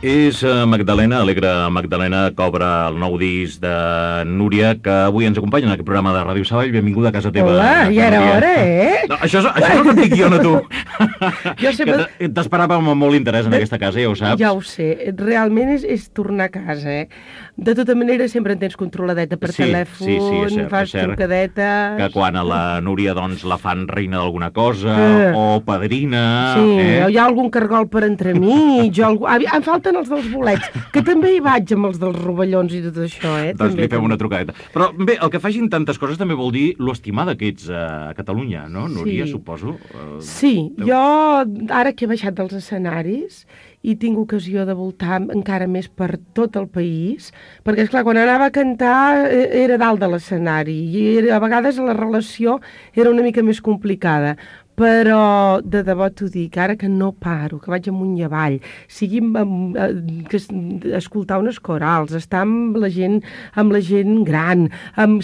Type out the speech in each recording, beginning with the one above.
És Magdalena, Alegre Magdalena, que obre el nou disc de Núria, que avui ens acompanya en aquest programa de Ràdio Sabadell. Benvinguda a casa teva. Hola, ja era hora, eh? No, això no et dic jo, no tu. Jo sempre... Que t'esperava amb molt interès en aquesta casa, ja ho saps. Ja ho sé, realment és tornar a casa, eh? De tota manera, sempre en tens controladeta per telèfon, és cert, fas trucadetes... Que quan a la Núria doncs, la fan reina d'alguna cosa, o padrina... Sí, o hi ha algun cargol per entremig, o algú... Em falten els dels bolets, que també hi vaig amb els dels rovellons i tot això, eh? Doncs li fem una trucadeta. Però bé, el que facin tantes coses també vol dir lo estimada que ets a Catalunya, no, Núria, suposo? Sí, jo ara que he baixat dels escenaris i tinc ocasió de voltar encara més per tot el país, perquè, esclar, quan anava a cantar era dalt de l'escenari i a vegades la relació era una mica més complicada, però de debò t'ho dic, ara que no paro, que vaig amunt i avall, sigui escoltar unes corals, estar amb la gent gran,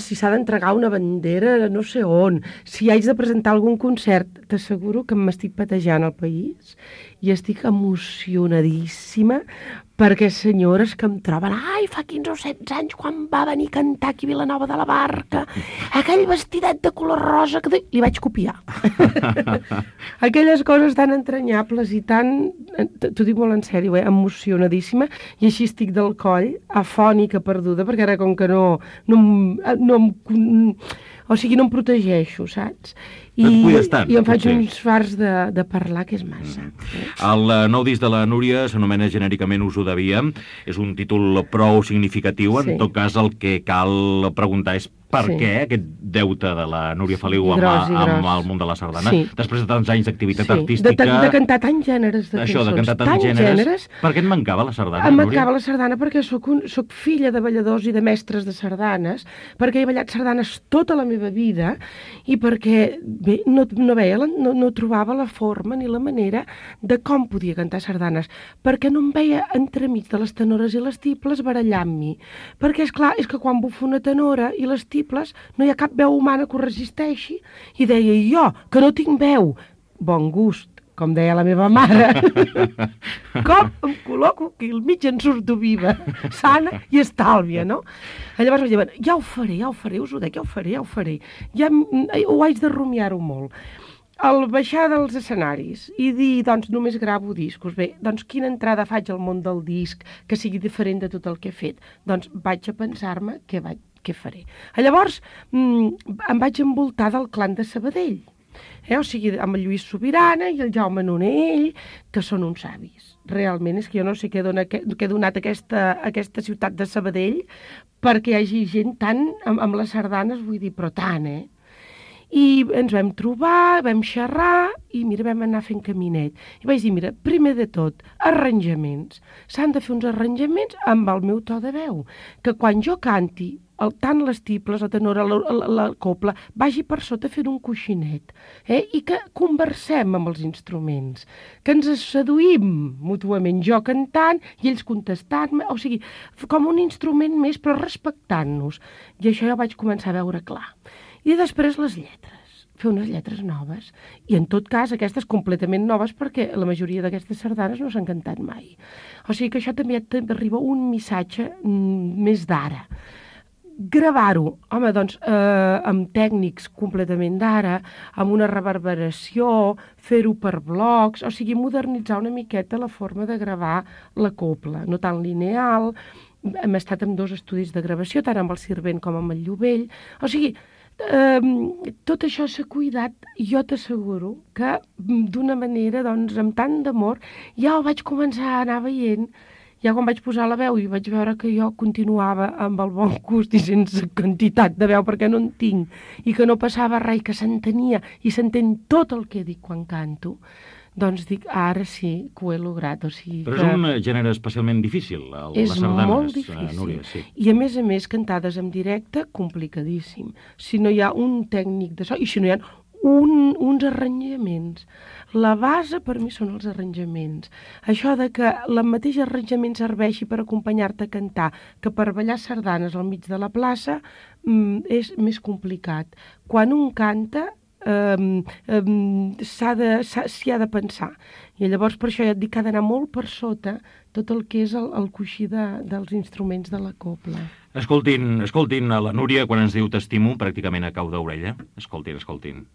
si s'ha d'entregar una bandera no sé on, si haig de presentar algun concert, t'asseguro que m'estic patejant al país i estic emocionadíssima perquè senyores que em troben, ai, fa 15 o 16 anys quan va venir a cantar aquí a Vilanova de la Barca, aquell vestidet de color rosa que li vaig copiar. Aquelles coses tan entranyables i tan, t'ho dic molt en sèrio, emocionadíssima, i així estic del coll, afònica, perduda, perquè ara com que no em protegeixo, saps? I em faig uns fars de parlar, que és massa. El nou disc de la Núria s'anomena genèricament Us ho devia. És un títol prou significatiu. En tot cas, el que cal preguntar és per què aquest deute de la Núria Feliu amb el món de la sardana, després de tants anys d'activitat artística... De cantar tants gèneres de cançons. Això, de cantar tants gèneres. Per què et mancava la sardana, Núria? Em mancava la sardana perquè soc filla de balladors i de mestres de sardanes, perquè he ballat sardanes tota la meva vida i perquè, bé, no trobava la forma ni la manera de com podia cantar sardanes, perquè no em veia entremig de les tenores i les tibles barallant-m'hi. Perquè, esclar, és que quan bufa una tenora i les tibles no hi ha cap veu humana que ho resisteixi, i deia jo, que no tinc veu, bon gust, com deia la meva mare, com em col·loco aquí al mig en surto viva, sana i estàlvia, no? Llavors vaig dir, ja ho faré, us ho dic, ja ho faré, ja ho haig de rumiar-ho molt. Al baixar dels escenaris i dir, doncs, només gravo discos, bé, doncs quina entrada faig al món del disc que sigui diferent de tot el que he fet? Doncs vaig a pensar-me què faré. Llavors em vaig envoltar del clan de Sabadell, o sigui, amb el Lluís Sobirana i el Jaume Nonell, que són uns savis. Realment és que jo no sé què ha donat aquesta ciutat de Sabadell perquè hi hagi gent tant amb les sardanes, vull dir, però tant, I ens vam trobar, vam xerrar i, mira, vam anar fent caminet. I vaig dir, mira, primer de tot, arranjaments. S'han de fer uns arranjaments amb el meu to de veu, que quan jo canti, tant les tibles, la tenora, la copla, vagi per sota fent un coixinet, i que conversem amb els instruments, que ens seduïm mútuament, jo cantant i ells contestant-me, o sigui, com un instrument més, però respectant-nos. I això ja vaig començar a veure clar. I després les lletres, fer unes lletres noves. I en tot cas, aquestes completament noves, perquè la majoria d'aquestes sardanes no s'han cantat mai. O sigui que això també arriba un missatge més d'ara. Gravar-ho, home, doncs, amb tècnics completament d'ara, amb una reverberació, fer-ho per blocs, o sigui, modernitzar una miqueta la forma de gravar la copla, no tan lineal. Hem estat en 2 estudis de gravació, tant amb el Sirvent com amb el Llovell. O sigui, tot això s'ha cuidat i jo t'asseguro que d'una manera, doncs, amb tant d'amor, ja ho vaig començar a anar veient. Ja quan vaig posar la veu i vaig veure que jo continuava amb el bon gust i sense quantitat de veu, perquè no en tinc, i que no passava res, i que s'entenia i s'entén tot el que dic quan canto, doncs dic, ara sí que ho he lograt. O sigui, però és un gènere especialment difícil, les sardanes. És molt difícil. Núria, sí. I a més, cantades en directe, complicadíssim. Si no hi ha un tècnic de so, i si no hi ha uns arranjaments. La base per mi són els arranjaments. Això de que el mateix arranjament serveixi per acompanyar-te a cantar que per ballar sardanes al mig de la plaça és més complicat. Quan un canta s'hi ha de pensar. I llavors per això ja et dic que ha d'anar molt per sota tot el que és el coixí dels instruments de la cobla. Escoltin a la Núria quan ens diu t'estimo pràcticament a cau d'orella. Escoltin.